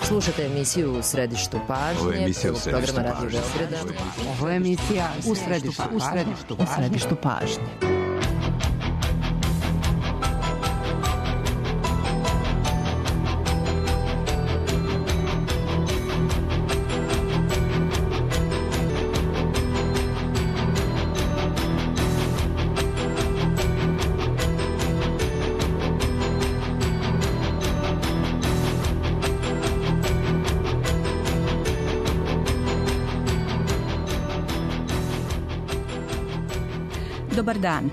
Slušate emisiju U središtu pažnje, programa Radio Beograda. Ovo je emisija U središtu pažnje. Dobar dan.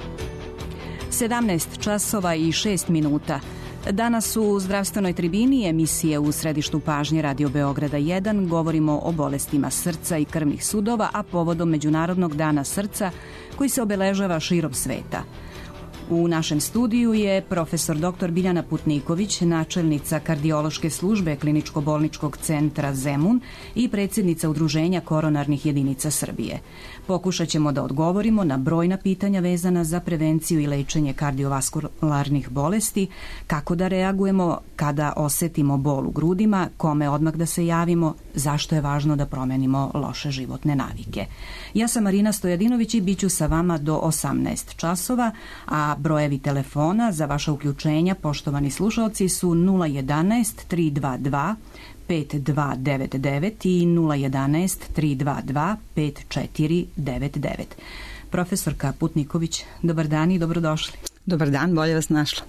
17 časova i 6 minuta. Danas u zdravstvenoj tribini emisije U središtu pažnje Radio Beograda 1 govorimo o bolestima srca i krvnih sudova, a povodom Međunarodnog dana srca koji se obeležava širom sveta. U našem studiju je profesor dr. Biljana Putniković, načelnica kardiološke službe Kliničko-bolničkog centra Zemun i predsjednica Udruženja koronarnih jedinica Srbije. Pokušat ćemo da odgovorimo na brojna pitanja vezana za prevenciju i lečenje kardiovaskularnih bolesti, kako da reagujemo kada osetimo bol u grudima, kome odmah da se javimo, zašto je važno da promenimo loše životne navike. Ja sam Marina Stojadinović i bit ću sa vama do 18 časova, a brojevi telefona za vaša uključenja, poštovani slušalci, su 011 322 5299 i 011 322 5499. Profesorka Putniković, dobar dan i dobrodošli. Dobar dan, bolje vas našla.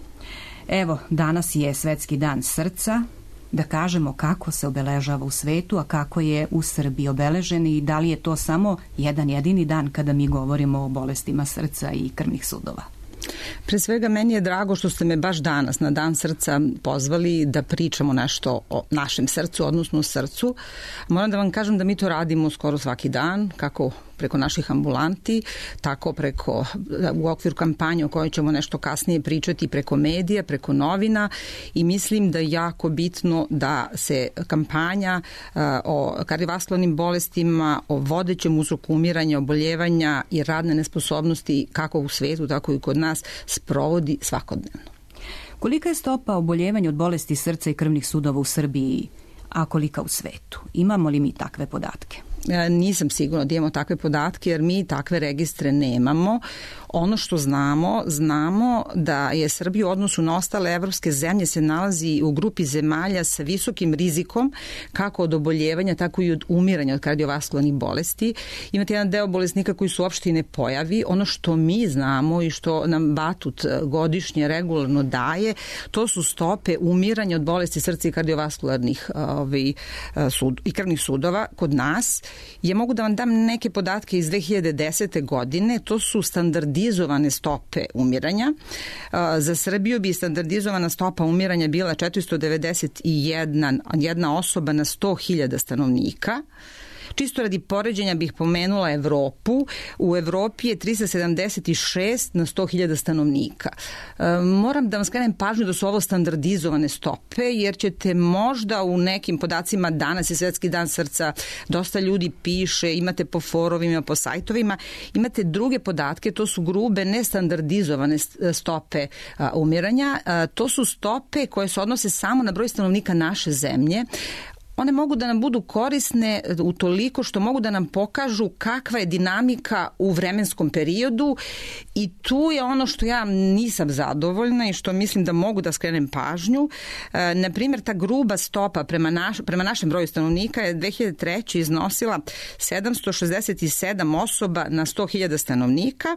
Evo, danas je Svetski dan srca. Da kažemo kako se obeležava u svetu, a kako je u Srbiji obeležen i da li je to samo jedan jedini dan kada mi govorimo o bolestima srca i krvnih sudova. Pre svega, meni je drago što ste me baš danas na Dan srca pozvali da pričamo nešto o našem srcu, odnosno o srcu. Moram da vam kažem da mi to radimo skoro svaki dan, kako preko naših ambulanti, tako preko u okviru kampanje o kojoj ćemo nešto kasnije pričati, preko medija, preko novina, i mislim da je jako bitno da se kampanja o kardiovaskularnim bolestima, o vodećem uzroku umiranja, oboljevanja i radne nesposobnosti kako u svetu, tako i kod nas sprovodi svakodnevno. Kolika je stopa oboljevanja od bolesti srca i krvnih sudova u Srbiji, a kolika u svetu? Imamo li mi takve podatke? Nisam sigurna da imamo takve podatke jer mi takve registre nemamo. Ono što znamo da je Srbija u odnosu na ostale evropske zemlje se nalazi u grupi zemalja sa visokim rizikom kako od oboljevanja, tako i od umiranja od kardiovaskularnih bolesti. Imate jedan deo bolesnika koji su uopšte i ne pojavi. Ono što mi znamo i što nam Batut godišnje regularno daje, to su stope umiranja od bolesti srca i kardiovaskularnih i krvnih sudova kod nas. Ja mogu da vam dam neke podatke iz 2010. godine, to su standardizovane stope umiranja. Za Srbiju bi standardizovana stopa umiranja bila 491 osoba na 100.000 stanovnika. Čisto radi poređenja bih pomenula Evropu. U Evropi je 376 na 100.000 stanovnika. Moram da vam skrenem pažnju da su ovo standardizovane stope, jer ćete možda u nekim podacima, danas je Svetski dan srca, dosta ljudi piše, imate po forovima, po sajtovima, imate druge podatke, to su grube nestandardizovane stope umiranja. To su stope koje se odnose samo na broj stanovnika naše zemlje. One mogu da nam budu korisne utoliko što mogu da nam pokažu kakva je dinamika u vremenskom periodu, i tu je ono što ja nisam zadovoljna i što mislim da mogu da skrenem pažnju. Na primjer, ta gruba stopa prema našem broju stanovnika je 2003. iznosila 767 osoba na 100.000 stanovnika,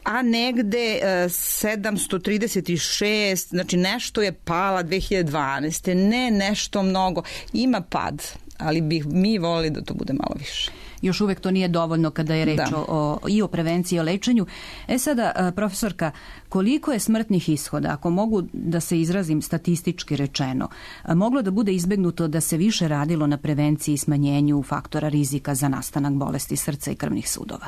a negde 736, znači nešto je pala 2012. Ne nešto mnogo, ima pad, ali bih mi volili da to bude malo više. Još uvek to nije dovoljno kada je reč i o prevenciji i o lečenju. Sada, profesorka, koliko je smrtnih ishoda, ako mogu da se izrazim statistički rečeno, moglo da bude izbegnuto da se više radilo na prevenciji i smanjenju faktora rizika za nastanak bolesti srca i krvnih sudova?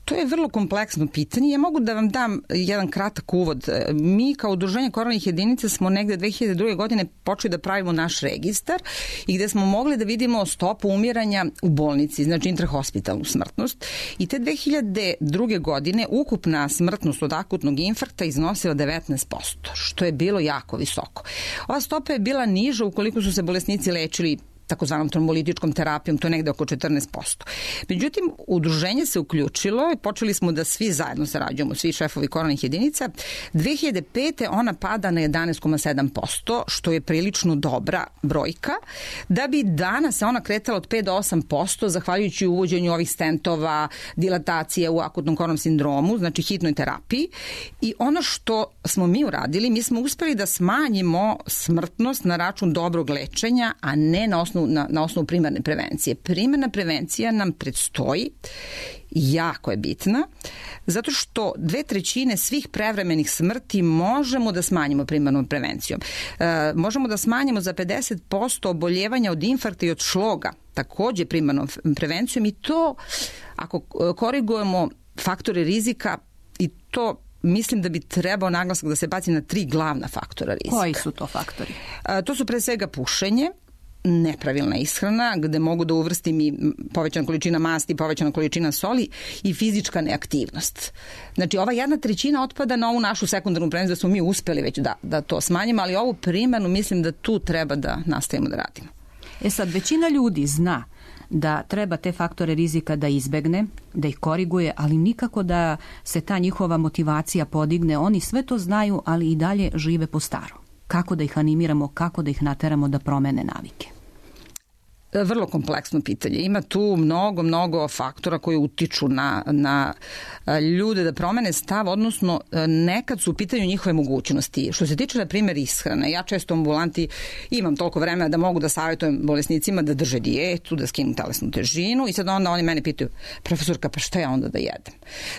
To je vrlo kompleksno pitanje. Ja mogu da vam dam jedan kratak uvod. Mi kao udruženje koronarnih jedinica smo negde 2002. godine počeli da pravimo naš registar i gde smo mogli da vidimo stopu umiranja u bolnici, znači intrahospitalnu smrtnost. I te 2002. godine ukupna smrtnost od akutnog infarkta iznosila 19%, što je bilo jako visoko. Ova stopa je bila niža ukoliko su se bolesnici lečili takozvanom trombolitičkom terapijom, to je negde oko 14%. Međutim, udruženje se uključilo i počeli smo da svi zajedno sarađujemo, svi šefovi koronarnih jedinica. 2005. ona pada na 11,7%, što je prilično dobra brojka, da bi danas se ona kretala od 5 do 8%, zahvaljujući uvođenju ovih stentova, dilatacije u akutnom koronarnom sindromu, znači hitnoj terapiji. I ono što smo mi uradili, mi smo uspeli da smanjimo smrtnost na račun dobrog lečenja, a ne na osnovu primarne prevencije. Primarna prevencija nam predstoji, jako je bitna, zato što 2/3 svih prevremenih smrti možemo da smanjimo primarnom prevencijom. Možemo da smanjimo za 50% oboljevanja od infarkta i od šloga, takođe primarnom prevencijom, i to ako korigujemo faktore rizika, i to mislim da bi trebao naglasak da se baci na 3 glavna faktora rizika. Koji su to faktori? To su pre svega pušenje, nepravilna ishrana, gde mogu da uvrstim i povećana količina masti, povećana količina soli, i fizička neaktivnost. Znači, ova 1/3 otpada na ovu našu sekundarnu prevenciju, da smo mi uspeli već da to smanjimo, ali ovu primarnu mislim da tu treba da nastavimo da radimo. Sad, većina ljudi zna da treba te faktore rizika da izbegne, da ih koriguje, ali nikako da se ta njihova motivacija podigne. Oni sve to znaju, ali i dalje žive po starom. Kako da ih animiramo, kako da ih nateramo da promene navike? Vrlo kompleksno pitanje. Ima tu mnogo faktora koji utiču na ljude da promene stav, odnosno nekad su u pitanju njihove mogućnosti. Što se tiče, na primjer, ishrane, ja često u ambulanti imam toliko vremena da mogu da savjetujem bolesnicima da drže dijetu, da skinu telesnu težinu, i sad onda oni mene pitaju: profesorka, pa šta ja onda da jedem?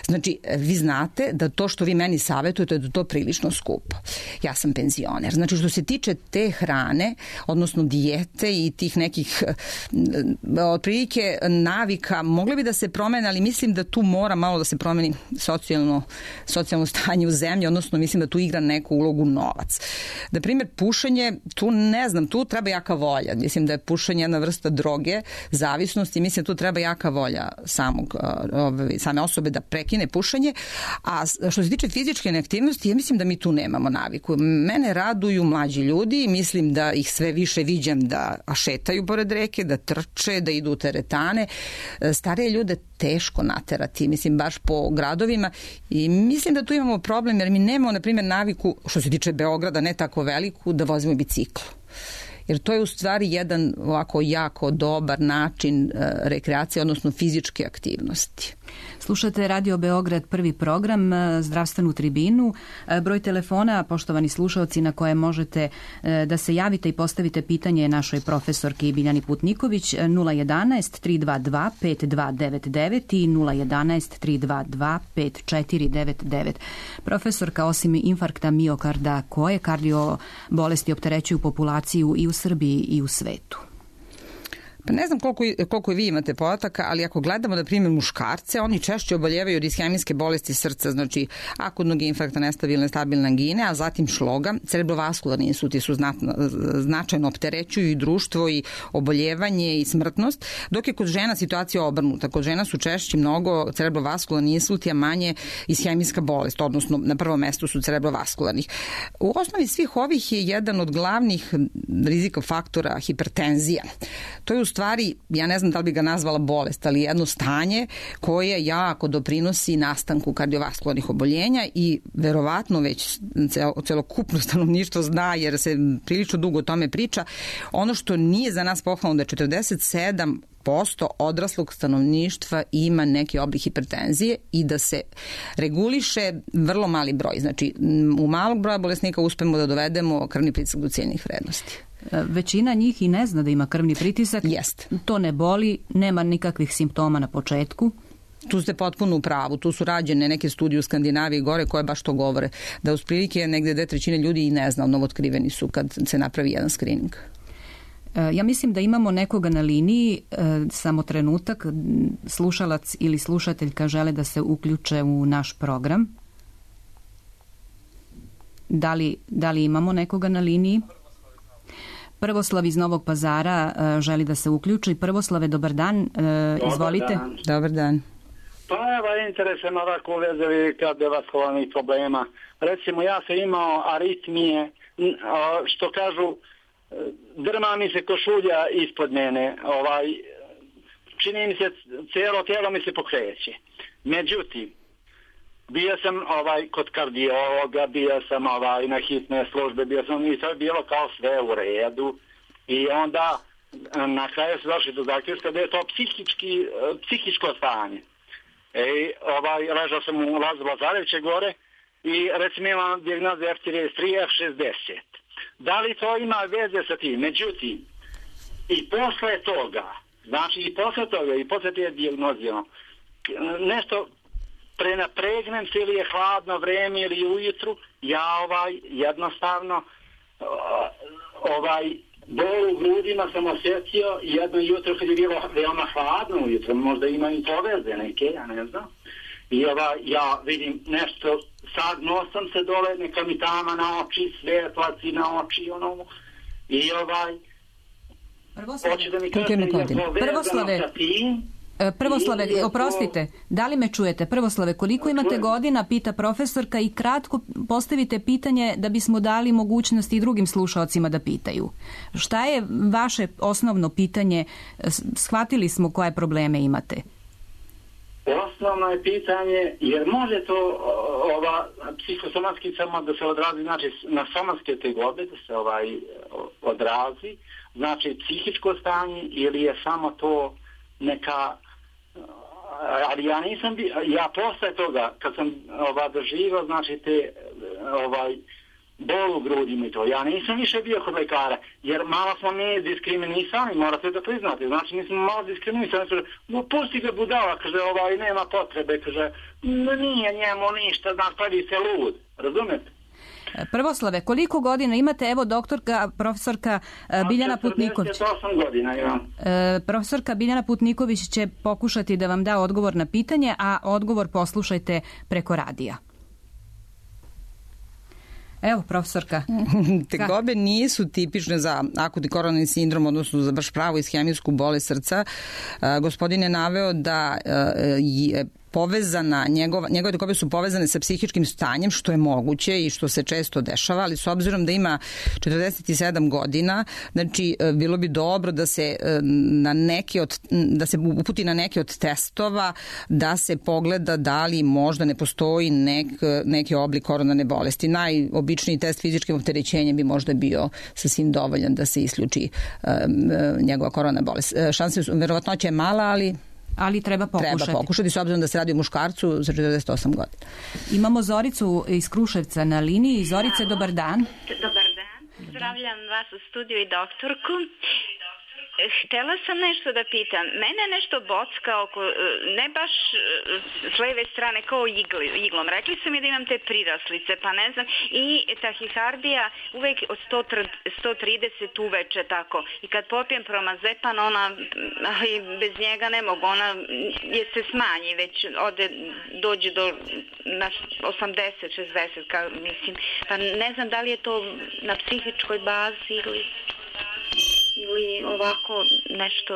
Znači, vi znate da to što vi meni savjetujete da to prilično skupo. Ja sam penzioner. Znači, što se tiče te hrane, odnosno dijete i tih nekih otprilike navika, mogli bi da se promene, ali mislim da tu mora malo da se promeni socijalno stanje u zemlji, odnosno mislim da tu igra neku ulogu novac. Na primjer, pušenje, tu ne znam, tu treba jaka volja. Mislim da je pušenje jedna vrsta droge, zavisnosti, mislim da tu treba jaka volja same osobe da prekine pušenje. A što se tiče fizičke neaktivnosti, ja mislim da mi tu nemamo naviku. Mene raduju mlađi ljudi, mislim da ih sve više viđam da šetaju pored reke, da trče, da idu u teretane. Starije ljude teško naterati, mislim, baš po gradovima, i mislim da tu imamo problem, jer mi nemamo, na primjer, naviku, što se tiče Beograda, ne tako veliku, da vozimo bicikl. Jer to je u stvari jedan ovako jako dobar način rekreacije, odnosno fizičke aktivnosti. Slušate Radio Beograd, prvi program, zdravstvenu tribinu. Broj telefona, poštovani slušalci, na koje možete da se javite i postavite pitanje našoj profesorki Biljani Putniković, 011 322 5299 i 011 322 5499. Profesorka, osim infarkta miokarda, koje kardio bolesti opterećuju populaciju i u Srbiji i u svetu? Pa ne znam koliko vi imate podataka, ali ako gledamo, na primjer, muškarce, oni češće oboljevaju od ishemijske bolesti srca, znači akutnog infarkta, nestabilne, stabilne angine, a zatim šloga. Cerebrovaskularni insulti su značajno opterećuju i društvo i oboljevanje i smrtnost, dok je kod žena situacija obrnuta. Kod žena su češće mnogo cerebrovaskularni insulti, a manje ishemijska bolest, odnosno na prvom mestu su cerebrovaskularnih. U osnovi svih ovih je jedan od glavnih rizika faktora hipertenzija. To je u stvari, ja ne znam da li bi ga nazvala bolest, ali jedno stanje koje jako doprinosi nastanku kardiovaskularnih oboljenja, i verovatno već celokupno stanovništvo zna, jer se prilično dugo o tome priča. Ono što nije za nas pohvalno da je 47% odraslog stanovništva ima neki oblik hipertenzije i da se reguliše vrlo mali broj. Znači, u malog broja bolesnika uspemo da dovedemo krvni pritisak do ciljnih vrednosti. Većina njih i ne zna da ima krvni pritisak. Jest. To ne boli, nema nikakvih simptoma na početku. Tu ste potpuno u pravu. Tu su rađene neke studije u Skandinaviji gore koje baš to govore. Da uz prilike negde 2/3 ljudi i ne zna, novootkriveni su kad se napravi jedan skrining. Ja mislim da imamo nekoga na liniji, samo trenutak, slušalac ili slušateljka žele da se uključe u naš program. Da li imamo nekoga na liniji? Prvoslav iz Novog Pazara želi da se uključi. Prvoslave, dobar dan, izvolite. Dobar dan. Pa evo, interesujem ovako u vezi kardiovaskularnih problema. Recimo, ja sam imao aritmije, što kažu, drma mi se košulja ispod mene, čini mi se, cijelo tijelo mi se pokreće. Međutim, bio sam kod kardiologa, bio sam na hitne službe, bio sam i to je bilo kao sve u redu. I onda na kraju se došli do zaključka da je to psihičko stanje. Ležao sam u Lazu Lazareviće gore i recimo imam dijagnozu F33, F60. Da li to ima veze sa tim? Međutim, i posle toga, i posle te dijagnoze, nešto prenapregnem se ili je hladno vreme ili ujutru, ja jednostavno bol u grudima sam osjetio jedno jutro kad je bilo veoma hladno ujutro, možda ima i poveze neke, ja ne znam. I ja vidim nešto, sagnuo sam se dole, neka mi tama na oči, svetlaci na oči, i hoće da mi kaže je povezano sa tim. Prvoslave, oprostite, da li me čujete? Prvoslave, koliko imate godina, pita profesorka, i kratko postavite pitanje da bismo dali mogućnosti i drugim slušaocima da pitaju. Šta je vaše osnovno pitanje? Shvatili smo koje probleme imate. Osnovno je pitanje, jer može to psihosomatski samo da se odrazi, znači na somatske tegobe da se odrazi, znači psihičko stanje, ili je samo to neka, ali ja nisam ja posle toga kad sam doživao, znači te bol u grudima i to, ja nisam više bio kod lekara, jer malo smo mi diskriminisani, morate da priznate, znači mi smo malo diskriminisani, kaže, pusti ga budala, kaže, nema potrebe, kaže, nije njemu ništa, znači pravi se lud, razumete? Prvoslave, koliko godina imate? Evo doktorka, profesorka Biljana Putniković. 48 godina imam. Profesorka Biljana Putniković će pokušati da vam da odgovor na pitanje, a odgovor poslušajte preko radija. Evo, profesorka. Tegobe nisu tipične za akutni koronarni sindrom, odnosno za baš pravu ishemijsku bolest srca. Gospodin je naveo da je povezana, njegove tegobe su povezane sa psihičkim stanjem, što je moguće i što se često dešava, ali s obzirom da ima 47 godina, znači bilo bi dobro da se uputi na neke od testova, da se pogleda da li možda ne postoji neki oblik koronarne bolesti. Najobičniji test fizičkim opterećenjem bi možda bio sasvim dovoljan da se isključi njegova koronarna bolest. Verovatnoća je mala, ali treba pokušati, s obzirom da se radi o muškarcu za 48 godina. Imamo Zoricu iz Kruševca na liniji. Zorice, dobar dan. Dobar dan. Zdravljam vas u studiju i doktorku. Htjela sam nešto da pitam. Mene nešto bocka oko, ne baš s leve strane, kao iglom. Rekli su mi da imam te priraslice, pa ne znam. I tahikardija uvek od 130 uveče tako. I kad popijem promazepan, ali bez njega ne mogu, ona se smanji, već dođe do 80-60, mislim. Pa ne znam da li je to na psihičkoj bazi ili ovako nešto,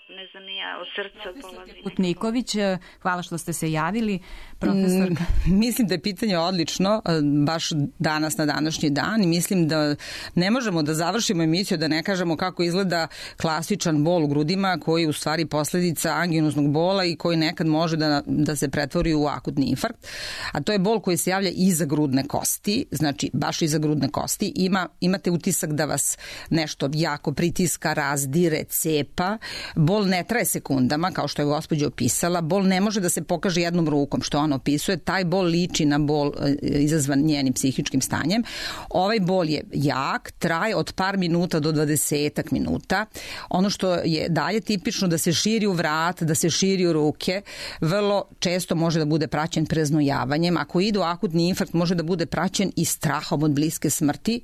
ne znam ja, od srca polazi. Putniković, hvala što ste se javili. Profesorka. Mislim da je pitanje odlično, baš danas na današnji dan, i mislim da ne možemo da završimo emisiju da ne kažemo kako izgleda klasičan bol u grudima, koji je u stvari posljedica anginoznog bola i koji nekad može da se pretvori u akutni infarkt, a to je bol koji se javlja iza grudne kosti, znači baš iza grudne kosti. Imate utisak da vas nešto jako pritiska, razdire, cepa. Bol bol ne traje sekundama, kao što je gospođa opisala, bol ne može da se pokaže jednom rukom, što ona opisuje, taj bol liči na bol izazvan njenim psihičkim stanjem. Ovaj bol je jak, traje od par minuta do 20 minuta. Ono što je dalje tipično da se širi u vrat, da se širi u ruke, vrlo često može da bude praćen preznojavanjem. Ako ide u akutni infarkt, može da bude praćen i strahom od bliske smrti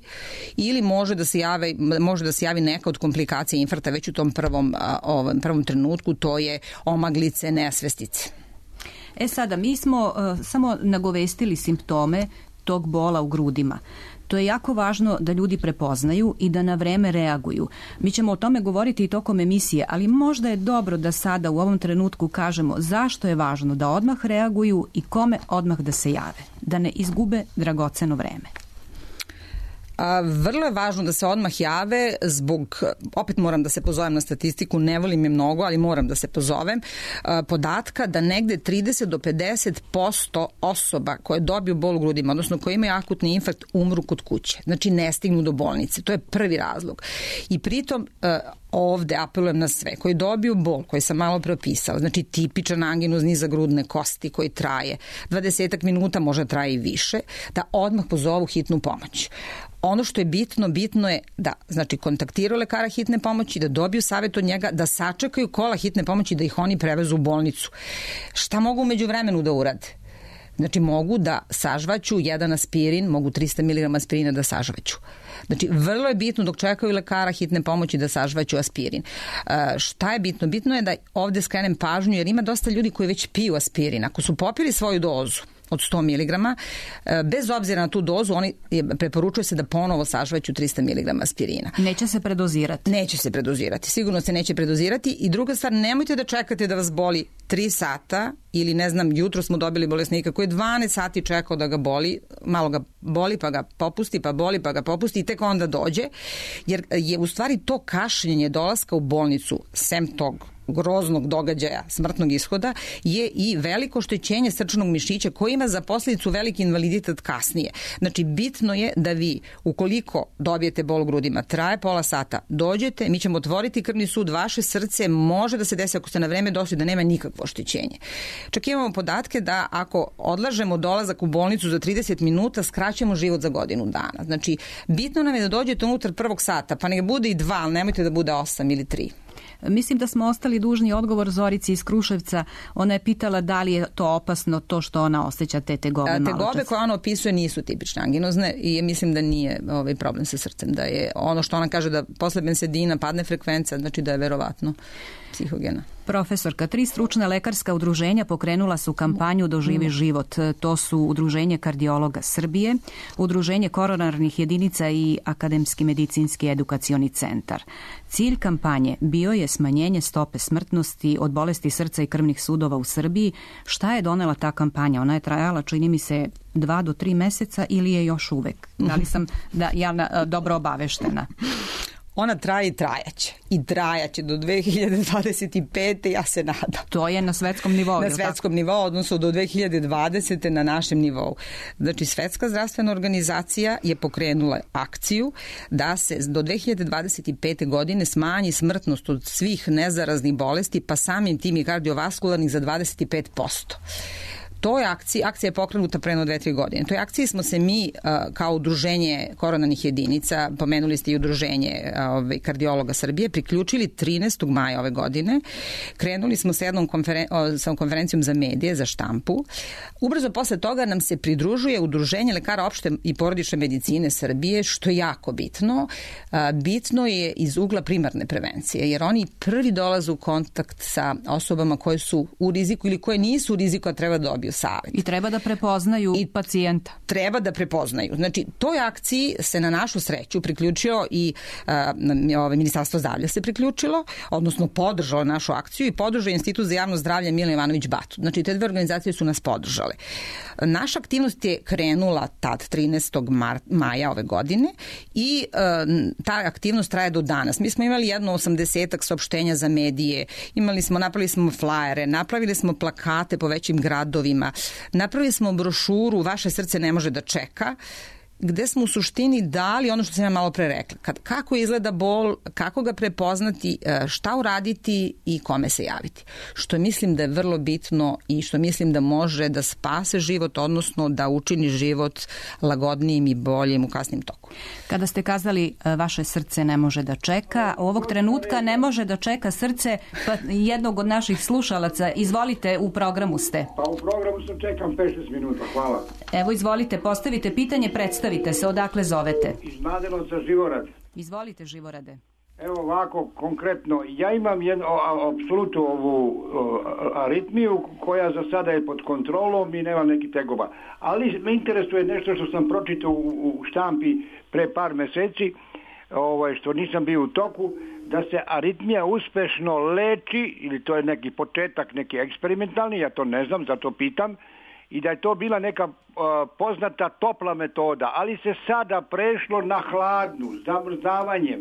ili može da se javi neka od komplikacija infarkta već u tom prvom trenutku, to je omaglice, nesvestice. Sada, mi smo samo nagovestili simptome tog bola u grudima. To je jako važno da ljudi prepoznaju i da na vreme reaguju. Mi ćemo o tome govoriti i tokom emisije, ali možda je dobro da sada u ovom trenutku kažemo zašto je važno da odmah reaguju i kome odmah da se jave, da ne izgube dragoceno vreme. Vrlo je važno da se odmah jave zbog, opet moram da se pozovem na statistiku, ne volim je mnogo, ali moram da se pozovem, podatka da negde 30 do 50% osoba koje dobiju bol u grudima, odnosno koje imaju akutni infarkt, umru kod kuće. Znači ne stignu do bolnice. To je prvi razlog. I pritom ovde apelujem na sve koji dobiju bol, koji sam malo preopisala, znači tipičan anginus niza grudne kosti koji traje 20 minuta, može traje i više, da odmah pozovu hitnu pomoć. Ono što je bitno je da kontaktiraju lekara hitne pomoći, da dobiju savjet od njega, da sačekaju kola hitne pomoći, da ih oni prevezu u bolnicu. Šta mogu umeđu vremenu da urade? Znači mogu da sažvaću jedan aspirin, mogu 300 mg aspirina da sažvaću. Znači vrlo je bitno dok čekaju lekara hitne pomoći da sažvaću aspirin. Šta je bitno? Bitno je da ovde skrenem pažnju jer ima dosta ljudi koji već piju aspirin. Ako su popili svoju dozu od 100 mg, bez obzira na tu dozu, preporučuje se da ponovo sažvaću 300 mg aspirina. Neće se predozirati? Neće se predozirati, sigurno se neće predozirati. I druga stvar, nemojte da čekate da vas boli 3 sata ili jutro smo dobili bolesnika koji je 12 sati čekao da ga boli, malo ga boli pa ga popusti, pa boli pa ga popusti i tek onda dođe, jer je u stvari to kašljenje dolaska u bolnicu, sem tog groznog događaja, smrtnog ishoda, je i veliko oštećenje srčanog mišića koji ima za posljedicu veliki invaliditet kasnije. Znači, bitno je da vi, ukoliko dobijete bol u grudima, traje pola sata, dođete, mi ćemo otvoriti krvni sud, vaše srce može da se desi ako ste na vreme došli da nema nikakvo oštećenje. Čak imamo podatke da ako odlažemo dolazak u bolnicu za 30 minuta, skraćujemo život za godinu dana. Znači, bitno nam je da dođete unutar prvog sata, pa nek bude i 2, ali nemojte da bude 8 ili 3. Mislim da smo ostali dužni odgovor Zorici iz Kruševca. Ona je pitala da li je to opasno, to što ona osjeća te tegobe malo čas. Tegobe koje ona opisuje nisu tipične anginozne i mislim da nije problem sa srcem. Da je ono što ona kaže da posle bensedina padne frekvencija, znači da je verovatno psihogena. Profesorka, 3 stručna lekarska udruženja pokrenula su kampanju Doživi život. To su Udruženje kardiologa Srbije, Udruženje koronarnih jedinica i Akademski medicinski edukacioni centar. Cilj kampanje bio je smanjenje stope smrtnosti od bolesti srca i krvnih sudova u Srbiji. Šta je donela ta kampanja? Ona je trajala, čini mi se, 2 do 3 meseca ili je još uvek? Da li sam dobro obaveštena? Ona traje i trajaće. I trajaće do 2025. ja se nadam. To je na svetskom nivou. Na svetskom nivou, odnosno do 2020. na našem nivou. Znači, Svetska zdravstvena organizacija je pokrenula akciju da se do 2025. godine smanji smrtnost od svih nezaraznih bolesti, pa samim tim i kardiovaskularnih za 25%. To je akcija je pokrenuta pre 2-3 godine. Toj akciji smo se mi kao udruženje koronarnih jedinica, pomenuli ste i udruženje kardiologa Srbije, priključili 13. maja ove godine. Krenuli smo sa jednom konferencijom za medije, za štampu. Ubrzo posle toga nam se pridružuje udruženje lekara opšte i porodične medicine Srbije, što je jako bitno. Bitno je iz ugla primarne prevencije, jer oni prvi dolaze u kontakt sa osobama koje su u riziku ili koje nisu u riziku, a treba da dobiju savjet. I treba da prepoznaju pacijenta. Treba da prepoznaju. Znači, toj akciji se na našu sreću priključio i Ministarstvo zdravlja se priključilo, odnosno podržalo našu akciju i podržao Institut za javno zdravlje Milan Jovanović Batut. Znači, te 2 organizacije su nas podržale. Naša aktivnost je krenula tad 13. maja ove godine i ta aktivnost traje do danas. Mi smo imali jedno 80-ak saopštenja za medije, napravili smo flajere, napravili smo plakate po većim gradovima, napravili smo brošuru Vaše srce ne može da čeka gde smo u suštini dali ono što sam ja malo pre rekla. Kako izgleda bol, kako ga prepoznati, šta uraditi i kome se javiti. Što mislim da je vrlo bitno i što mislim da može da spase život, odnosno da učini život lagodnijim i boljim u kasnim toku. Kada ste kazali vaše srce ne može da čeka, ovog trenutka ne može da čeka srce jednog od naših slušalaca. Izvolite, u programu ste. Pa u programu sam, čekam 5-6 minuta, hvala. Evo, izvolite, postavite pitanje, predstavite se, odakle zovete? Iz Mladenovca, Živorad. Izvolite, Živorade. Evo ovako, konkretno, ja imam jednu, apsolutno ovu aritmiju koja za sada je pod kontrolom i nema nekih tegova. Ali me interesuje nešto što sam pročitao u štampi pre par meseci, što nisam bio u toku, da se aritmija uspešno leči, ili to je neki početak, neki eksperimentalni, ja to ne znam, zato pitam, i da je to bila neka poznata topla metoda, ali se sada prešlo na hladnu, zamrzavanjem.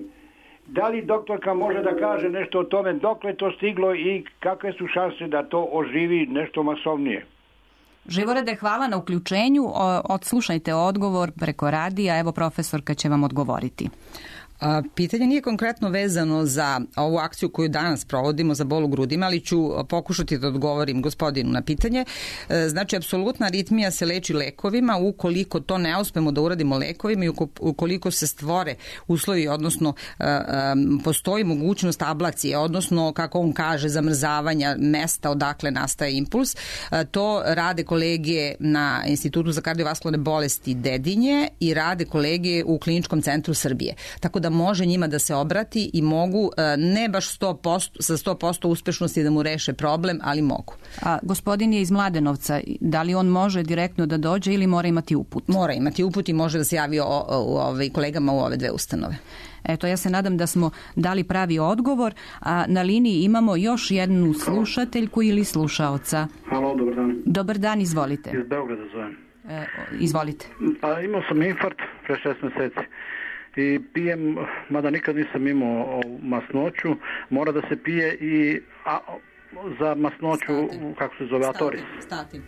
Da li doktorka može da kaže nešto o tome, dokle to stiglo i kakve su šanse da to oživi nešto masovnije? Živorade, hvala na uključenju. Odslušajte odgovor preko radija. Evo, profesorka će vam odgovoriti. Pitanje nije konkretno vezano za ovu akciju koju danas provodimo za bol u grudima, ali ću pokušati da odgovorim gospodinu na pitanje. Znači, apsolutna aritmija se leči lekovima. Ukoliko to ne uspemo da uradimo lekovima i ukoliko se stvore uslovi, odnosno postoji mogućnost ablacije, odnosno, kako on kaže, zamrzavanja mesta odakle nastaje impuls, to rade kolege na Institutu za kardiovaskularne bolesti Dedinje i rade kolege u Kliničkom centru Srbije. Tako da može njima da se obrati i mogu, ne baš 100%, sa 100% uspešnosti da mu reše problem, ali mogu. A gospodin je iz Mladenovca, da li on može direktno da dođe ili mora imati uput? Mora imati uput i može da se javi kolegama u ove dve ustanove. Eto, ja se nadam da smo dali pravi odgovor, a na liniji imamo još jednu slušateljku ili slušaoca. Halo, dobar dan. Dobar dan, izvolite. Iz Beograda zovem. Izvolite. Pa imao sam infarkt pre 6 meseci. I pijem, mada nikad nisam imao masnoću, mora da se pije i za masnoću, kako se zove, Atoris. Statin.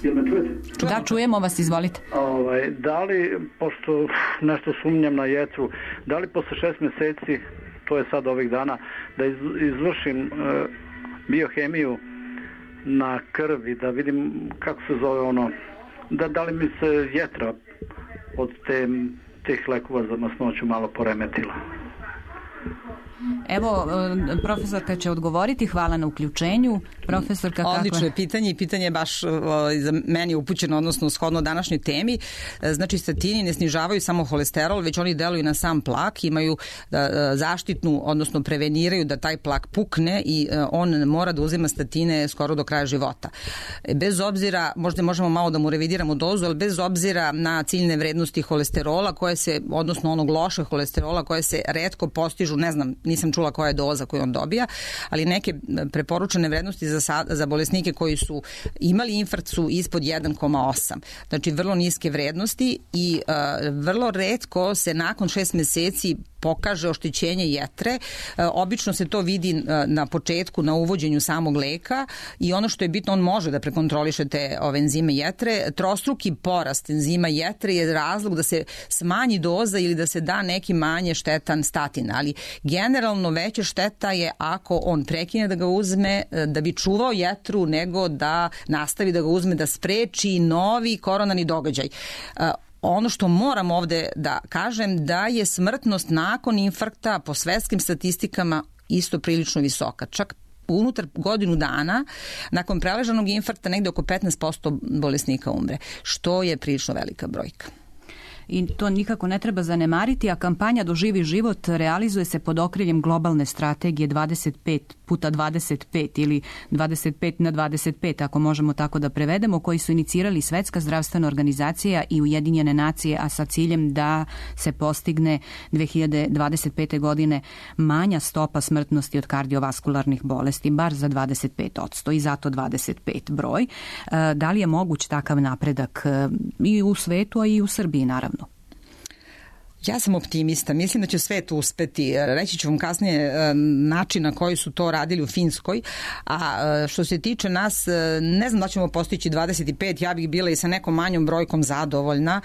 Jel me čujete? Da, čujemo vas, izvolite. Da li, pošto nešto sumnjam na jetru, da li posle 6 meseci, to je sad ovih dana, da izvršim biohemiju na krvi, da vidim kako se zove ono, da li mi se jetra od tih lekova za masnoću malo poremetila. Evo, profesorka će odgovoriti. Hvala na uključenju. Profesorka, kako je? Odlično je pitanje i pitanje je baš za meni upućeno, odnosno shodno današnjoj temi. Znači, statini ne snižavaju samo holesterol, već oni deluju na sam plak, imaju zaštitnu, odnosno preveniraju da taj plak pukne i on mora da uzima statine skoro do kraja života. Bez obzira, možda možemo malo da mu revidiramo dozu, ali bez obzira na ciljne vrednosti holesterola, koje se, odnosno onog lošeg holesterola, koje se retko postižu, ne znam, nisam čula koja je doza koju on dobija, ali neke preporučene vrednosti za bolesnike koji su imali infarkt su ispod 1,8. Znači vrlo niske vrednosti i vrlo retko se nakon 6 meseci pokaže oštećenje jetre. Obično se to vidi na početku, na uvođenju samog leka i ono što je bitno, on može da prekontroliše te enzime jetre. Trostruki porast enzima jetre je razlog da se smanji doza ili da se da neki manje štetan statin, ali generalno veća šteta je ako on prekine da ga uzme da bi čuvao jetru nego da nastavi da ga uzme da spreči novi koronarni događaj. Ono što moram ovde da kažem da je smrtnost nakon infarkta po svetskim statistikama isto prilično visoka. Čak unutar godinu dana nakon preležanog infarkta negde oko 15% bolesnika umre, što je prilično velika brojka. I to nikako ne treba zanemariti, a kampanja Doživi život realizuje se pod okriljem globalne strategije 25x25 ili 25x25, ako možemo tako da prevedemo, koji su inicirali Svetska zdravstvena organizacija i Ujedinjene nacije, a sa ciljem da se postigne 2025. godine manja stopa smrtnosti od kardiovaskularnih bolesti, bar za 25% i zato 25 broj. Da li je moguć takav napredak i u svetu, a i u Srbiji, naravno? Ja sam optimista, mislim da će svet uspeti. Reći ću vam kasnije način na koji su to radili u Finskoj, a što se tiče nas, ne znam da ćemo postići 25, ja bih bila i sa nekom manjom brojkom zadovoljna.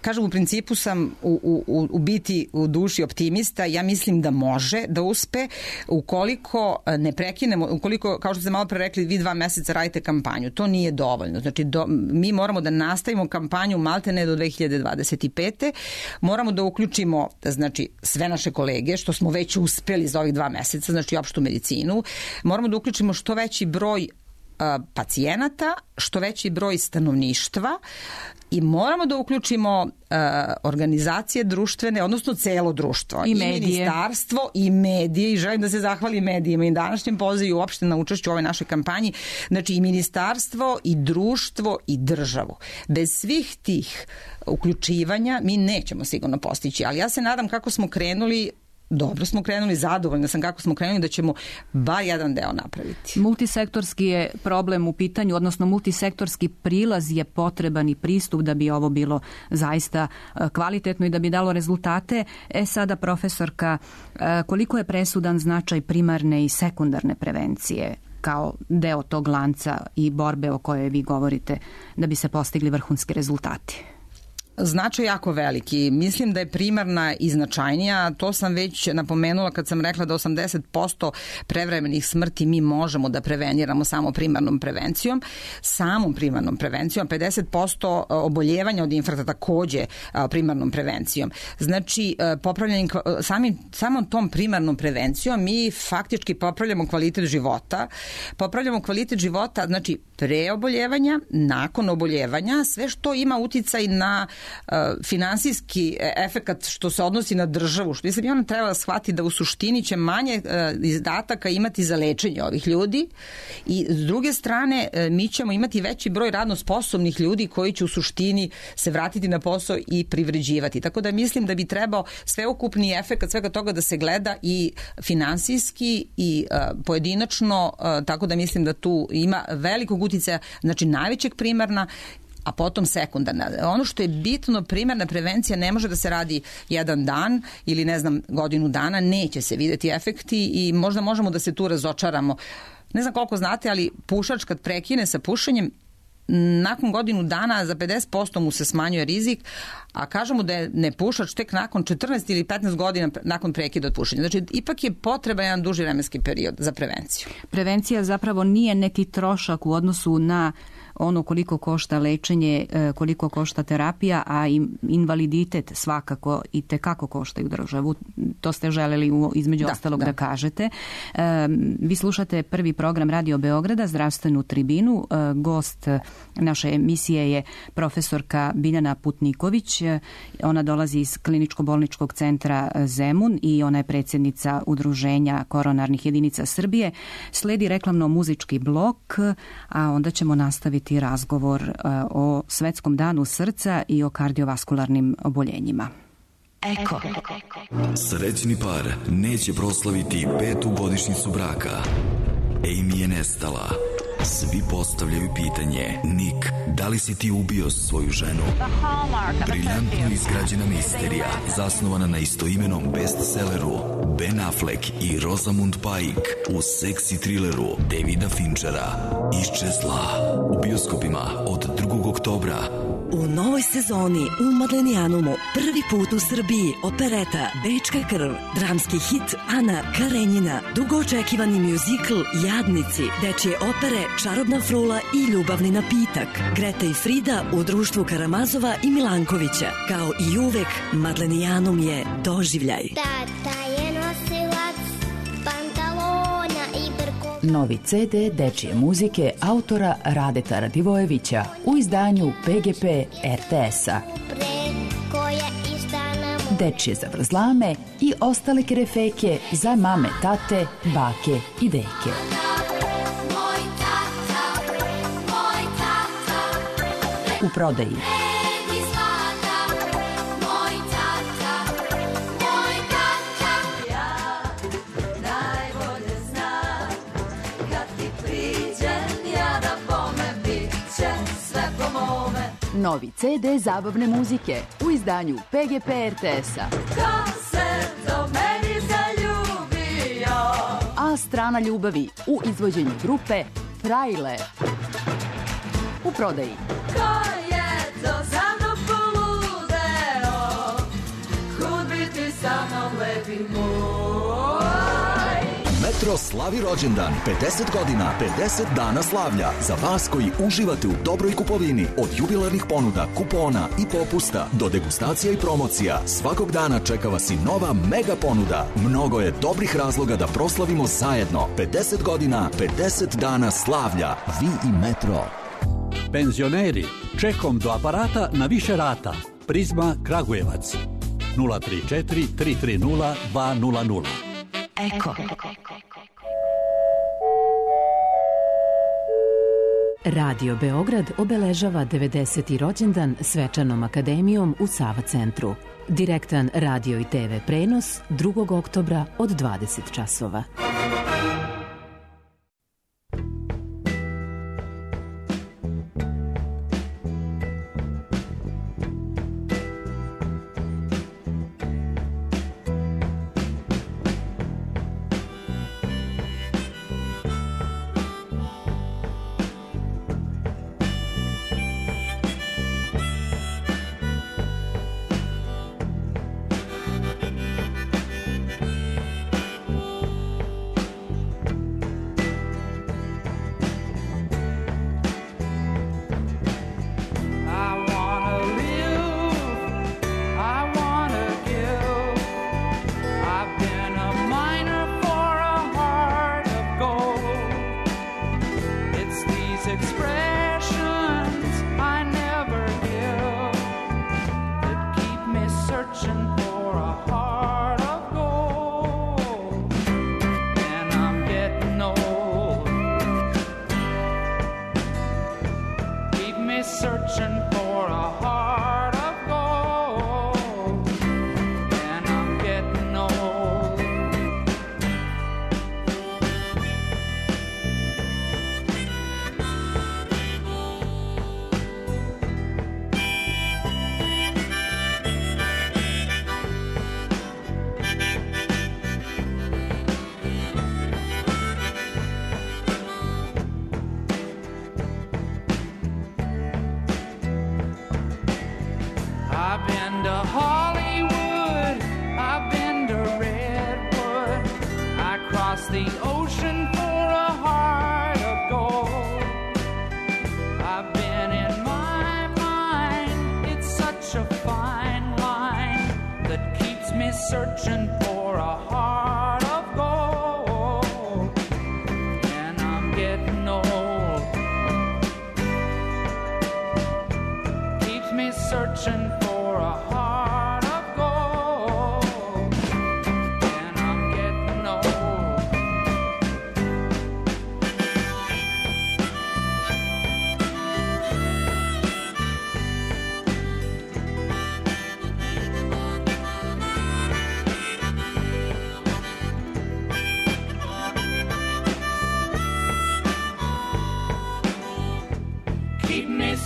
Kažem, u principu sam u biti u duši optimista, ja mislim da može da uspe ukoliko ne prekinemo, ukoliko, kao što ste malo pre rekli, vi 2 meseca radite kampanju, to nije dovoljno. Znači, mi moramo da nastavimo kampanju maltene do 2025. Moramo da uključimo, znači, sve naše kolege, što smo već uspeli za ovih 2 meseca, znači opštu medicinu. Moramo da uključimo što veći broj pacijenata, što veći broj stanovništva i moramo da uključimo organizacije društvene, odnosno celo društvo. I medije. Ministarstvo i medije, i želim da se zahvalim medijima i današnjem pozivu uopšte na učešću u ovoj našoj kampanji. Znači i ministarstvo, i društvo, i državu. Bez svih tih uključivanja mi nećemo sigurno postići, ali ja se nadam kako smo krenuli, dobro smo krenuli, zadovoljna sam kako smo krenuli, da ćemo bar jedan deo napraviti. Multisektorski je problem u pitanju, odnosno multisektorski prilaz je potreban i pristup da bi ovo bilo zaista kvalitetno i da bi dalo rezultate. Sada, profesorka, koliko je presudan značaj primarne i sekundarne prevencije kao deo tog lanca i borbe o kojoj vi govorite da bi se postigli vrhunski rezultati? Značaj jako veliki. Mislim da je primarna i značajnija. To sam već napomenula kad sam rekla da 80% prevremenih smrti mi možemo da preveniramo samo primarnom prevencijom. Samom primarnom prevencijom. 50% oboljevanja od infarkta takođe primarnom prevencijom. Znači, samom tom primarnom prevencijom mi faktički popravljamo kvalitet života. Popravljamo kvalitet života, znači, pre oboljevanja, nakon oboljevanja, sve što ima uticaj na finansijski efekat što se odnosi na državu, što mislim, ona treba da shvati da u suštini će manje izdataka imati za lečenje ovih ljudi i s druge strane mi ćemo imati veći broj radno sposobnih ljudi koji će u suštini se vratiti na posao i privređivati. Tako da mislim da bi trebao sveukupni efekat svega toga da se gleda i finansijski i pojedinačno, tako da mislim da tu ima velikog uticaja, znači najvećeg primarna, a potom sekundarna. Ono što je bitno, primarna prevencija ne može da se radi jedan dan ili ne znam godinu dana, neće se videti efekti i možda možemo da se tu razočaramo. Ne znam koliko znate, ali pušač kad prekine sa pušenjem, nakon godinu dana za 50% mu se smanjuje rizik, a kažemo da je nepušač tek nakon 14 ili 15 godina nakon prekida od pušenja. Znači, ipak je potreban jedan duži vremenski period za prevenciju. Prevencija zapravo nije neki trošak u odnosu na ono koliko košta lečenje, koliko košta terapija, a invaliditet svakako i tekako koštaju državu. To ste želeli između ostalog da kažete. Vi slušate prvi program Radio Beograda, Zdravstvenu tribinu. Gost naše emisije je profesorka Biljana Putniković. Ona dolazi iz Kliničko-bolničkog centra Zemun i ona je predsjednica Udruženja koronarnih jedinica Srbije. Sledi reklamno-muzički blok, a onda ćemo nastaviti razgovor o Svetskom danu srca i o kardiovaskularnim oboljenjima. Eko. Srećni par neće proslaviti 5. godišnjicu braka. Amy je nestala. Svi postavljaju pitanje: Nick, da li si ti ubio svoju ženu? Briljantno izgrađena misterija, zasnovana na istoimenom bestselleru Ben Affleck i Rosamund Pike u seksi trileru Davida Finchera Iščezla, u bioskopima od 2. oktobra. U novoj sezoni u Madlenijanumu prvi put u Srbiji opereta Bečka krv, dramski hit Ana Karenjina, dugo očekivani mjuzikl Jadnici, dečje opere Čarobna frula i Ljubavni napitak, Greta i Frida u društvu Karamazova i Milankovića. Kao i uvek, Madlenijanum je doživljaj. Tata je nosilac pantalona i brko. Novi CD dečje muzike autora Radeta Radivojevića u izdanju PGP RTS-a. Dečje zavrzlame i ostale kerefeke za mame, tate, bake i deke. U prodaji. Novi CD zabavne muzike u izdanju PGP RTS-a. Ko se do meni zaljubio? A strana ljubavi u izvođenju grupe Frajle. U prodaji. Ko je to za mnom poludeo? Kud biti sa mnom lepi moj? Metro slavi rođendan, 50 godina, 50 dana slavlja. Za vas koji uživate u dobroj kupovini, od jubilarnih ponuda, kupona i popusta do degustacija i promocija, svakog dana čeka vas i nova mega ponuda. Mnogo je dobrih razloga da proslavimo zajedno. 50 godina, 50 dana slavlja. Vi i Metro. Penzioneri, čekom do aparata na više rata. Prizma Kragujevac. 034 330 200. Eko. Radio Beograd obeležava 90. rođendan svečanom akademijom u Sava centru. Direktan radio i TV prenos 2. oktobra od 20 časova.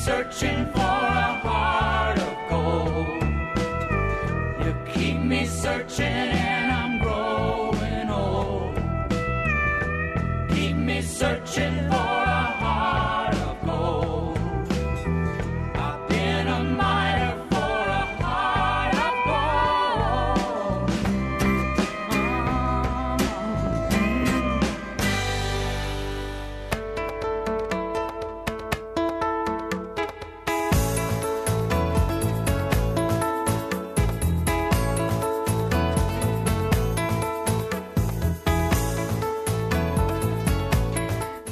Searching for a heart of gold. You keep me searching and I'm growing old. Keep me searching for a heart of gold. I've been a miner for a heart of gold.